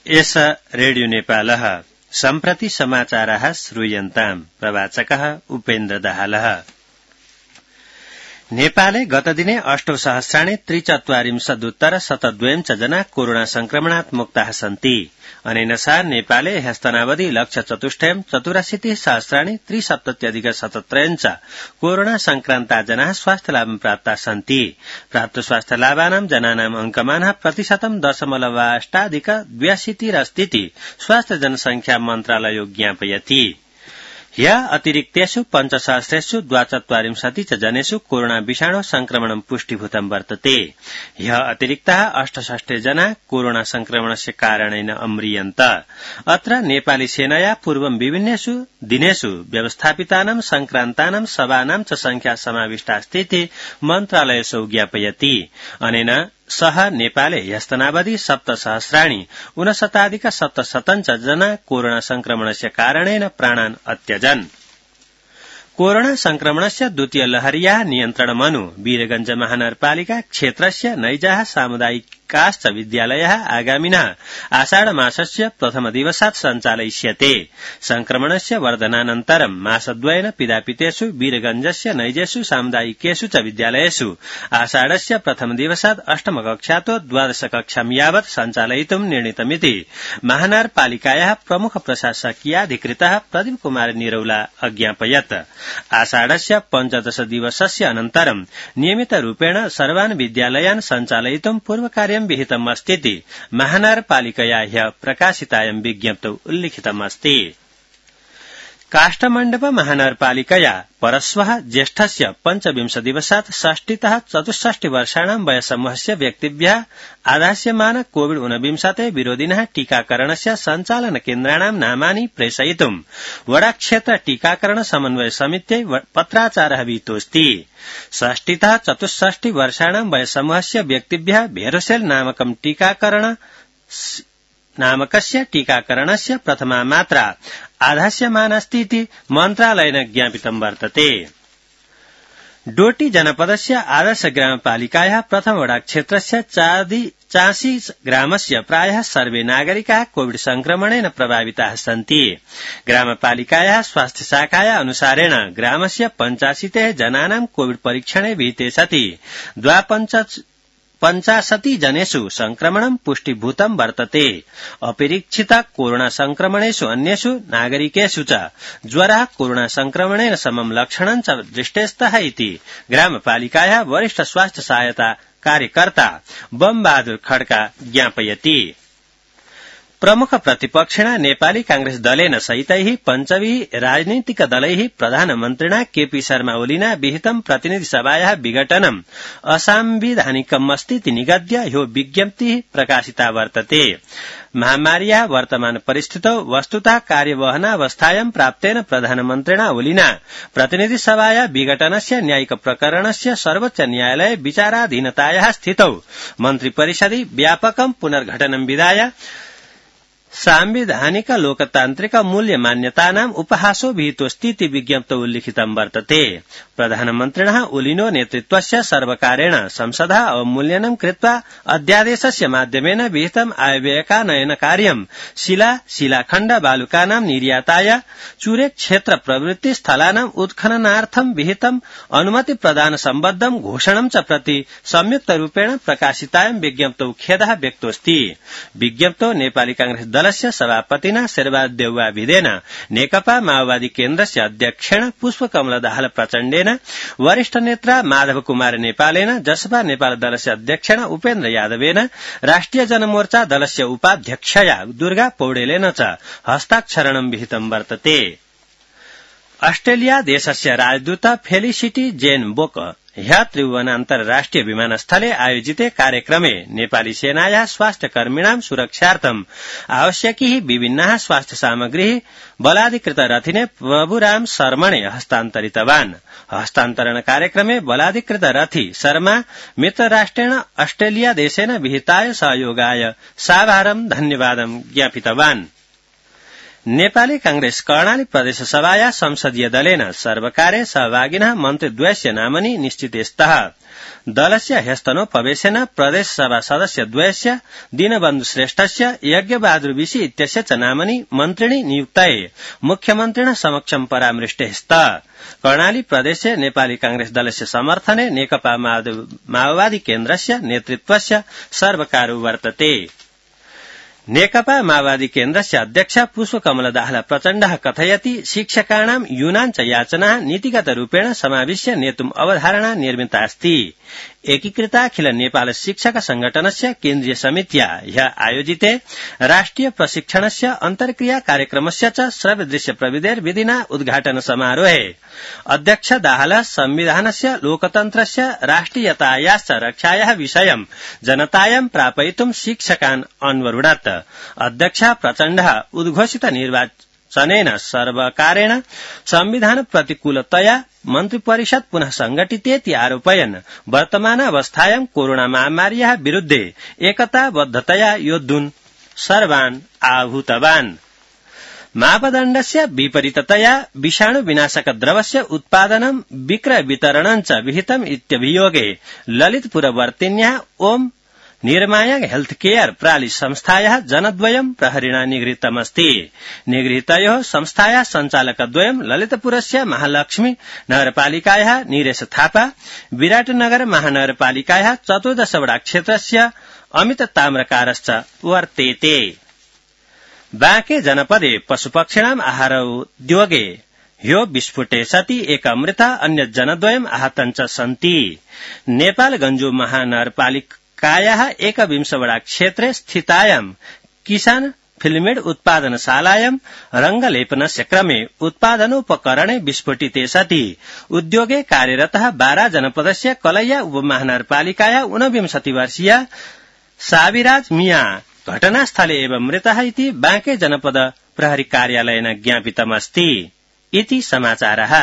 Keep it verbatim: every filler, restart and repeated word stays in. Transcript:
एष रेडियो नेपालः सम्प्रति समाचाराः श्रूयन्ताम्। प्रवाचकः उपेन्द्र दाहालः। नेपाले गतदिने अष्टौ सहस्राणि त्रिचत्वारिंशदुत्तर शतद्वयं च जना कोरोना संक्रमणात् मुक्ताः सन्ति। अनेन सह नेपाले ह्यस्तनावधि लक्ष्य चतुष्टयं चतुराशीति सहस्राणि त्रिसप्तत्यधिक शतत्रयं च कोरोना संक्रान्ता जनाः स्वास्थ्यलाभं प्राप्ताः सन्ति। प्राप्त स्वास्थ्यलाभानां जनानाम् अंकमानः प्रतिशतं दशमलवाष्टाधिक द्व्यशीतिरस्तीति स्वास्थ्य जनसंख्या मन्त्रालयो ज्ञापयति। ह्य अतिरिक्तेषु पञ्चसहस्रेषु द्वाचत्वारिंशति च जनेषु कोरोना विषाणो संक्रमणं पुष्टिभूतं वर्तते। ह्य अतिरिक्ताः अष्टषष्टि जना कोरोना संक्रमणस्य कारणेन अम्रियन्त। अत्र नेपाली सेनया पूर्वं विभिन्नेषु दिनेषु व्यवस्थापितानां संक्रान्तानां सभानां च संख्या समाविष्टास्तीति मन्त्रालयसो ज्ञापयति। अनेन सह नेपाले ह्यस्तनावधि सप्तसहस्राणि ऊनशताधिक सप्तशतं च जना कोरोना संक्रमणस्य कारणेन प्राणान् अत्यजन्। कोरोना संक्रमणस्य द्वितीय लहर्याः नियन्त्रणमनु वीरगंज महानगरपालिका क्षेत्रस्य नैजाः सामुदायिकाश्च विद्यालयाः आगामिनः आषाढ मासस्य प्रथम दिवसात् सञ्चालयिष्यते। संक्रमणस्य वर्धनानन्तरं मासद्वयेन पिधापितेषु वीरगंजस्य नैजेषु सामुदायिकेषु च विद्यालयेषु आषाढस्य प्रथम दिवसात् अष्टम कक्षातो द्वादश कक्षां यावत् सञ्चालयितुं निर्णीतमिति महानगरपालिकायाः प्रमुख प्रशासकीयाधिकृतः प्रदीप कुमार निरौला अज्ञापयत्। आषाढस्य पञ्चदश दिवसस्य अनन्तरं नियमितरूपेण सर्वान् विद्यालयान् सञ्चालयितुं पूर्वकार्यं विहितमस्तीति महानगरपालिकया ह्यः प्रकाशितायां विज्ञप्तौ उल्लिखितमस्ति। काष्ठमण्डप महानगरपालिकया परश्वः ज्येष्ठस्य पञ्चविंश दिवसात् षष्टितः चतुष्षष्टि वर्षाणां वयसमूहस्य व्यक्तिभ्यः आधास्यमान कोविड ऊनविंशते विरोधिनः टीकाकरणस्य सञ्चालन केन्द्राणां नामानि प्रेषयितुं वडाक्षेत्र टीकाकरण समन्वय समित्यै पत्राचारः विहितोऽस्ति। षष्टितः चतुष्षष्टि वर्षाणां वयसमूहस्य व्यक्तिभ्यः भेरोसेल नामकं टीकाकरण नामकस्य टीकाकरणस्य प्रथमा मात्रा आधास्यमानास्तीति मन्त्रालयेन ज्ञापितं वर्तते। डोटी जनपदस्य आदर्श ग्रामपालिकायाः प्रथम वडाक्षेत्रस्य चासी ग्रामस्य प्रायः सर्वे नागरिकाः कोविड संक्रमणेन प्रभाविताः सन्ति। ग्रामपालिकायाः स्वास्थ्य शाखाया अनुसारेण ग्रामस्य पञ्चाशीतेः जनानां कोविड परीक्षणे विहिते सति द्वापञ्च पञ्चाशति जनेषु संक्रमणं पुष्टिभूतं वर्तते। अपरीक्षित कोरोना संक्रमणेषु अन्येषु नागरिकेषु च ज्वरः कोरोना संक्रमणेन समं लक्षणं च दृष्टेस्तः इति ग्रामपालिकायाः वरिष्ठ स्वास्थ्य सहायता कार्यकर्ता बम बहादुर खड्का ज्ञापयति। प्रमुख प्रतिपक्षिणा नेपाली कांग्रेस दलेन सहितैः पञ्चभिः राजनीतिक दलैः प्रधानमन्त्रिणा केपी शर्मा ओलीना विहितं प्रतिनिधि सभायाः विघटनम् असंविधानिकमस्तीति निगद्य ह्यो विज्ञप्तिः प्रकाशिता वर्तते। महामार्याः वर्तमान परिस्थितौ वस्तुतः कार्यवहनावस्थायां प्राप्तेन प्रधानमन्त्रिणा ओलीना प्रतिनिधि सभाया विघटनस्य न्यायिक प्रकरणस्य सर्वोच्च न्यायालये विचाराधीनतायाः स्थितौ मन्त्रिपरिषदि व्यापकं पुनर्गठनं विधाय सांविधानिक लोकतान्त्रिक मूल्य मान्यतानाम् उपहासो विहितोऽस्तीति विज्ञप्तौ उल्लिखितं वर्तते। प्रधानमन्त्रिणः ओलिनो नेतृत्वस्य सर्वकारेण संसदः अवमूल्यनं कृत्वा अध्यादेशस्य माध्यमेन विहितम् आयव्ययकानयन कार्यं शिला शिलाखण्ड बालुकानां निर्याताय चुरे क्षेत्र प्रवृत्ति स्थलानाम् उत्खननार्थं विहितम् अनुमति प्रदान सम्बद्धं घोषणं च प्रति संयुक्त रूपेण प्रकाशितायां विज्ञप्तौ खेदः व्यक्तोऽस्ति। विज्ञप्तौ नेपाली कांग्रेस दलस्य सभापतिना शेरबहादुर देउवा भिदेन नेकपा माओवादी केन्द्रस्य अध्यक्षेण पुष्पकमल दाहाल प्रचण्डेन वरिष्ठ नेता माधव कुमार नेपालेन जसपा नेपाल दलस्य अध्यक्षेण उपेन्द्र यादवेन राष्ट्रिय जनमोर्चा दलस्य उपाध्यक्षया दुर्गा पौडेलेन च हस्ताक्षरणं विहितं वर्तते। ऑस्ट्रेलिया देशस्य राजदूत फेलिसिटी जेन बोक ह्य त्रिभुवन अन्तर्राष्ट्रिय विमानस्थले आयोजिते कार्यक्रमे नेपाली सेनायाः स्वास्थ्यकर्मिणां सुरक्षार्थम् आवश्यकीः विभिन्नाः स्वास्थ्य सामग्रीः बलाधिकृत रथिने प्रभुराम शर्मणे हस्तान्तरितवान्। हस्तान्तरण कार्यक्रमे बलाधिकृत रथी शर्मा मित्रराष्ट्रेण ऑस्ट्रेलिया देशेन विहिताय सहयोगाय साभारं धन्यवादं ज्ञापितवान्। नेपाली कांग्रेस कर्णाली प्रदेश सभाया संसदीय दलेन सर्वकारे सहभागिनः मन्त्रिद्वयस्य नामनि निश्चिते स्तः दलस्य ह्यस्तनोपवेशेन प्रदेश सभा सदस्य द्वयस्य दीनबन्धु श्रेष्ठस्य यज्ञबहादुर विशी इत्यस्य च नामनि मन्त्रिणी नियुक्ताये मुख्यमन्त्रिणः समक्षं परामृष्टे स्तः कर्णाली प्रदेशे नेपाली कांग्रेस दलस्य समर्थने नेकपा माओवादी केन्द्रस्य नेतृत्वस्य सर्वकारो वर्तते नेकपा माओवादी केन्द्रस्य अध्यक्ष पुष्पकमल दाहाल प्रचण्डः कथयति शिक्षकाणां यूनां च याचनाः नीतिगतरूपेण समाविश्य नेतुम् अवधारणा निर्मिता अस्ति एकीकृताखिल नेपाल शिक्षक संघटनस्य केन्द्रीय समित्या ह्यः आयोजिते राष्ट्रिय प्रशिक्षणस्य अन्तर्क्रिया कार्यक्रमस्य च श्रव्यदृश्य प्रविधेर्विधिना उद्घाटन समारोहे अध्यक्ष दाहाल संविधानस्य लोकतन्त्रस्य राष्ट्रियतायाश्च रक्षायाः विषयं जनतायां प्रापयितुं शिक्षकान् अन्वरुणत् अध्यक्ष प्रचण्डः उद्घोषित निर्वाचनेन सर्वकारेण संविधान प्रतिकूलतया मन्त्रिपरिषद पुनः संघटितेति आरोपयन् वर्तमानावस्थायां कोरोना महामार्याः विरुद्धे एकताबद्धतया योद्धुं सर्वान् आहूतवान् मापदण्डस्य विपरीततया विषाणु विनाशक द्रवस्य उत्पादनं विक्रय वितरणं च विहितम् इत्यभियोगे ललितपुरवर्तिन्याः ओम निर्माया हेल्थ केयर प्राली संस्थायाः जनद्वयं प्रहरिणा निगृहीतमस्ति निगृहीतयोः संस्थायाः सञ्चालकद्वयं ललितपुरस्य महालक्ष्मी नगरपालिकायाः नीरेश थापा विराटनगर महानगरपालिकायाः चतुर्दश वडा क्षेत्रस्य अमित ताम्रकारश्च वर्तेते बाँके जनपदे पशुपक्षिणाम् आहारोद्योगे ह्यो विस्फोटे सति एक मृता अन्य जनद्वयम् आहतं च सन्ति नेपालगञ्जो महानगरपालिकायाः एकविंशवडा क्षेत्रे स्थितायां किसान फिल्मेड उत्पादनशालायां रंगलेपनस्य क्रमे उत्पादनोपकरणे विस्फोटिते सति उद्योगे कार्यरतः बारा जनपदस्य कलैया उपमहानगरपालिकायाः ऊनविंशति वर्षीय साविराज मिया घटनास्थले एव मृतः इति बाँके जनपद प्रहरी कार्यालयेन ज्ञापितमस्ति इति समाचारः।